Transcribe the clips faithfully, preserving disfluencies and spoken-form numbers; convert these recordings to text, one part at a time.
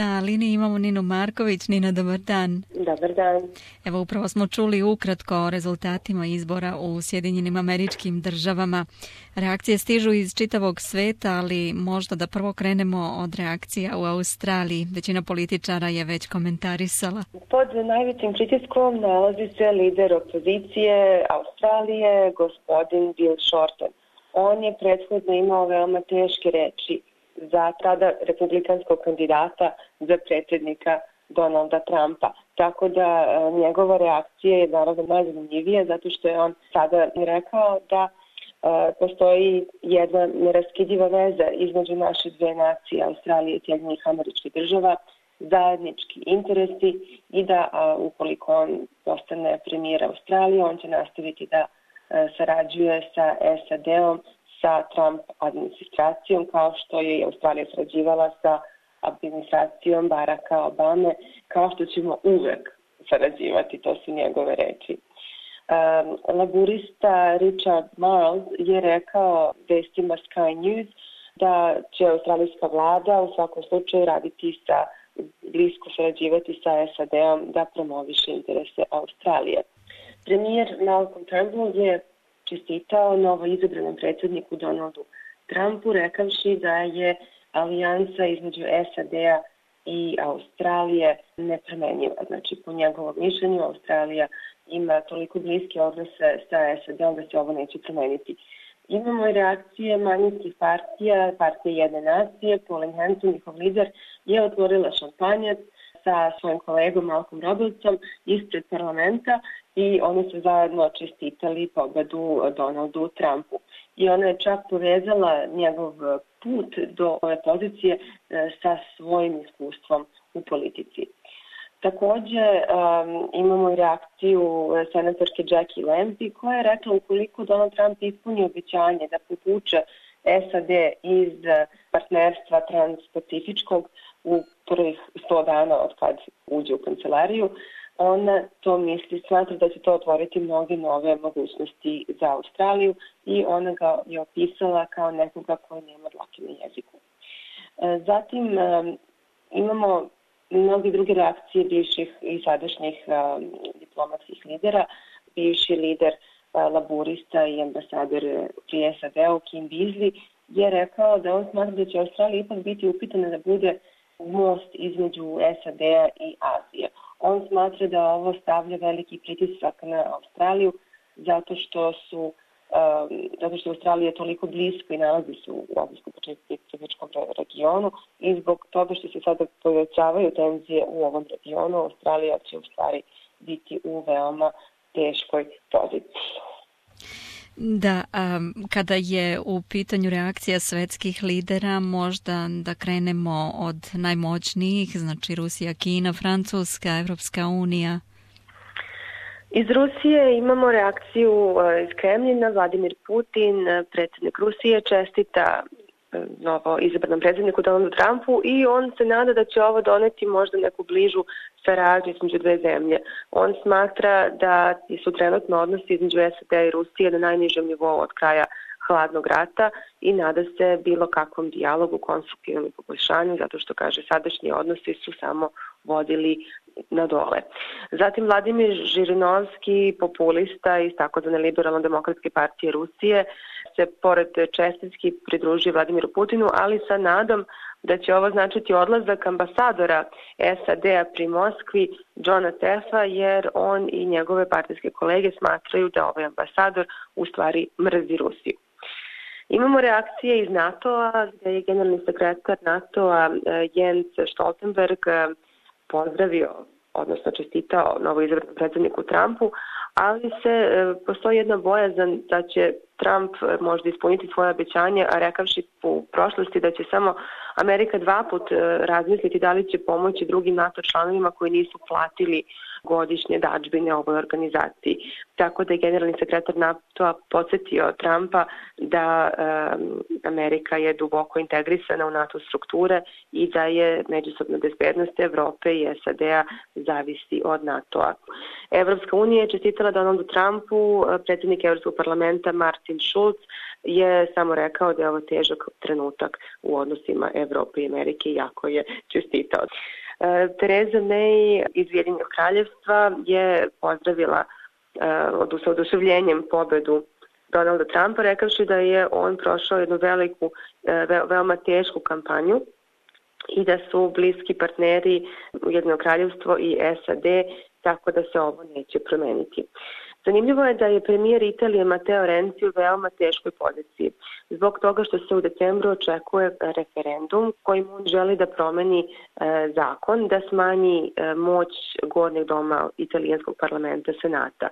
Na liniji imamo Ninu Marković. Nina, dobar dan. Dobar dan. Evo, upravo smo čuli ukratko o rezultatima izbora u Sjedinjenim Američkim Državama. Reakcije stižu iz čitavog sveta, ali možda da prvo krenemo od reakcija u Australiji. Većina političara je već komentarisala. Pod najvećim pritiskom nalazi se lider opozicije Australije, gospodin Bill Shorten. On je prethodno imao veoma teške reči za tada republikanskog kandidata za predsjednika Donalda Trumpa. Tako da njegova reakcija je naravno najzanimljivija zato što je on sada rekao da e, postoji jedna neraskidiva veza između naše dve nacije, Australije i Sjedinjenih Američkih Država, zajednički interesi i da a, ukoliko on postane premijer Australije, on će nastaviti da e, sarađuje sa S A D-om, sa Trump administracijom, kao što je i Australija sarađivala sa administracijom Baracka Obame, kao što ćemo uvek sarađivati, to su njegove reči. Um, laburista Richard Marles je rekao vestima Sky News da će australijska vlada u svakom slučaju raditi sa, blisko sarađivati sa S A D-om da promoviše interese Australije. Premijer Malcolm Turnbull je čestitao novo izabranom predsjedniku Donaldu Trumpu, rekavši da je alijansa između S A D-a i Australije nepromenjiva. Znači, po njegovom mišljenju, Australija ima toliko bliske odnose sa S A D-om da se ovo neće promeniti. Imamo i reakcije manjinskih partija, partije Jedne nacije. Pauline Hanson, njihov lider, je otvorila šampanjac sa svojim kolegom Malcolm Robertsom ispred parlamenta i oni su zajedno čestitali pobedu Donaldu Trumpu. I ona je čak povezala njegov put do ove pozicije sa svojim iskustvom u politici. Takođe um, imamo i reakciju senatorke Jackie Lambie koja je rekla ukoliko Donald Trump ispuni obećanje da povuče S A D iz partnerstva transpacifičkog u prvih sto dana od kad uđe u kancelariju, ona to misli, smatra da će to otvoriti mnoge nove mogućnosti za Australiju i ona ga je opisala kao nekoga koji nema dlake na jeziku. Zatim imamo mnoge druge reakcije bivših i sadašnjih diplomatskih lidera. Bivši lider laburista i ambasador pri S A D-u Kim Beazley je rekao da on smatra da će Australija ipak biti upitana da bude most između S A D-a i Azije. On smatra da ovo stavlja veliki pritisak na Australiju zato što su um, zato što Australija je toliko blisko i nalazi se u Azijsko-pacifičkom regionu i zbog toga što se sada povećavaju tenzije u ovom regionu, Australija će u stvari biti u veoma teškoj poziciji. Da, a kada je u pitanju reakcija svetskih lidera, možda da krenemo od najmoćnijih, znači Rusija, Kina, Francuska, Evropska unija. Iz Rusije imamo reakciju iz Kremljina. Vladimir Putin, predsjednik Rusije, čestita novo izabranom predsjedniku Donaldu Trumpu i on se nada da će ovo doneti možda neku bližu saradnju između dve zemlje. On smatra da su trenutno odnosi između S A D-a i Rusije na najnižem nivou od kraja hladnog rata i nada se bilo kakvom dijalogu, konstruktivnom poboljšanju, zato što, kaže, sadašnji odnosi su samo vodili na dole. Zatim Vladimir Žirinovski, populista iz takozvane liberalno-demokratske partije Rusije, se pored čestitki pridružio Vladimiru Putinu, ali sa nadom da će ovo značiti odlazak ambasadora S A D-a pri Moskvi, Johna Teffa, jer on i njegove partijske kolege smatraju da ovaj ambasador u stvari mrzi Rusiju. Imamo reakcije iz NATO-a, gde je generalni sekretar NATO-a Jens Stoltenberg pozdravio, odnosno čestitao novoizabranom predsjedniku Trumpu, ali se postoji jedna bojazan da će Trump možda ispuniti svoje obećanje, a rekavši u prošlosti da će samo Amerika dva put razmisliti da li će pomoći drugim NATO članovima koji nisu platili godišnje dažbine ovoj organizaciji. Tako da je generalni sekretar NATO-a podsjetio Trumpa da um, Amerika je duboko integrisana u NATO strukture i da je međusobna bezbednost Evrope i S A D-a zavisi od NATO-a. Evropska unija je čestitala Donaldu Trumpu, predsjednik Evropskog parlamenta Martin Schulz je samo rekao da je ovo težak trenutak u odnosima Evrope i Amerike, iako je čestitao. Theresa May iz Ujedinjenog kraljevstva je pozdravila uh, sa oduševljenjem pobedu Donalda Trumpa, rekavši da je on prošao jednu veliku, ve, veoma tešku kampanju i da su bliski partneri Ujedinjeno kraljevstvo i S A D, tako da se ovo neće promeniti. Zanimljivo je da je premijer Italije Matteo Renzi u veoma teškoj poziciji, zbog toga što se u decembru očekuje referendum kojim on želi da promeni e, zakon, da smanji e, moć gornjeg doma italijanskog parlamenta Senata.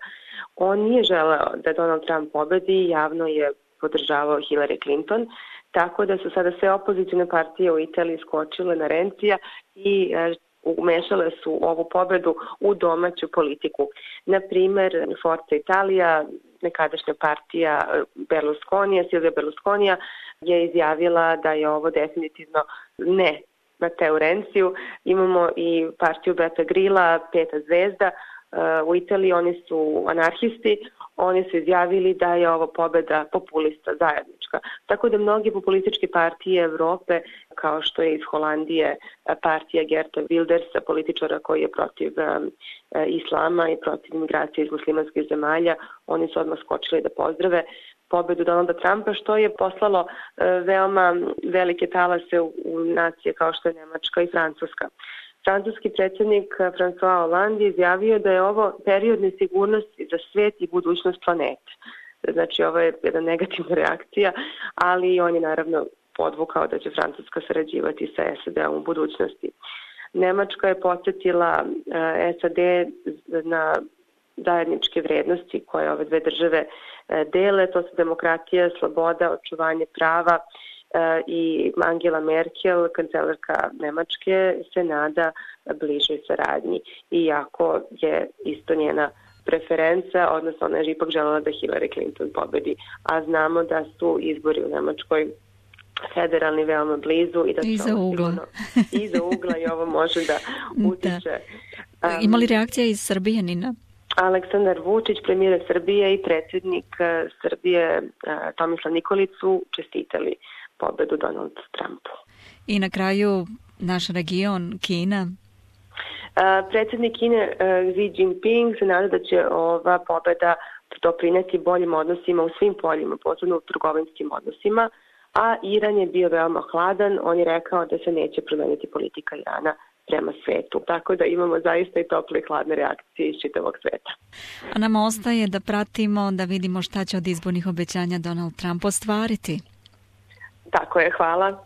On nije želeo da Donald Trump pobedi, javno je podržavao Hillary Clinton, tako da su sada sve opozicijne partije u Italiji skočile na Renzija i e, umešale su ovu pobedu u domaću politiku. Na primer, Forza Italija, nekadašnja partija Berlusconija, Silvio Berlusconija, je izjavila da je ovo definitivno ne Matteo Renziju. Imamo i partiju Beppe Grilla, Peta zvezda. U Italiji oni su anarhisti, oni su izjavili da je ovo pobeda populista zajednička. Tako da mnogi populističke partije Evrope, kao što je iz Holandije partija Geerta Wildersa, političara koji je protiv um, islama i protiv migracije iz muslimanskih zemalja, oni su odmah skočili da pozdrave pobedu Donalda Trumpa, što je poslalo uh, veoma velike talase u, u nacije kao što je Nemačka i Francuska. Francuski predsjednik François Hollande je izjavio da je ovo period nesigurnosti za svet i budućnost planete. Znači, ovo je jedna negativna reakcija, ali on je naravno podvukao da će Francuska sarađivati sa S A D-om u budućnosti. Nemačka je podsjetila S A D na zajedničke vrednosti koje ove dve države dele, to su demokratija, sloboda, očuvanje prava, i Angela Merkel, kancelarka Nemačke, se nada bližoj saradnji. Iako je isto njena preferenca, odnosno ona je ipak želela da Hillary Clinton pobedi. A znamo da su izbori u Nemačkoj federalni veoma blizu i da iza ugla. Iza ugla i ovo može da utiče. Da. Um, Ima li reakcija iz Srbije, Nina? Aleksandar Vučić, premijer Srbije i predsjednik Srbije Tomislav Nikolić su čestitali pobedu Donald Trumpu. I na kraju naš region, Kina. Uh, predsjednik Kine uh, Xi Jinping se nada da će ova pobeda doprineti boljim odnosima u svim poljima, posebno u trgovinskim odnosima, a Iran je bio veoma hladan, on je rekao da se neće promeniti politika Irana prema svetu. Tako da imamo zaista i tople i hladne reakcije iz čitavog sveta. A nam ostaje da pratimo, da vidimo šta će od izbornih obećanja Donald Trump ostvariti. Tako je, hvala.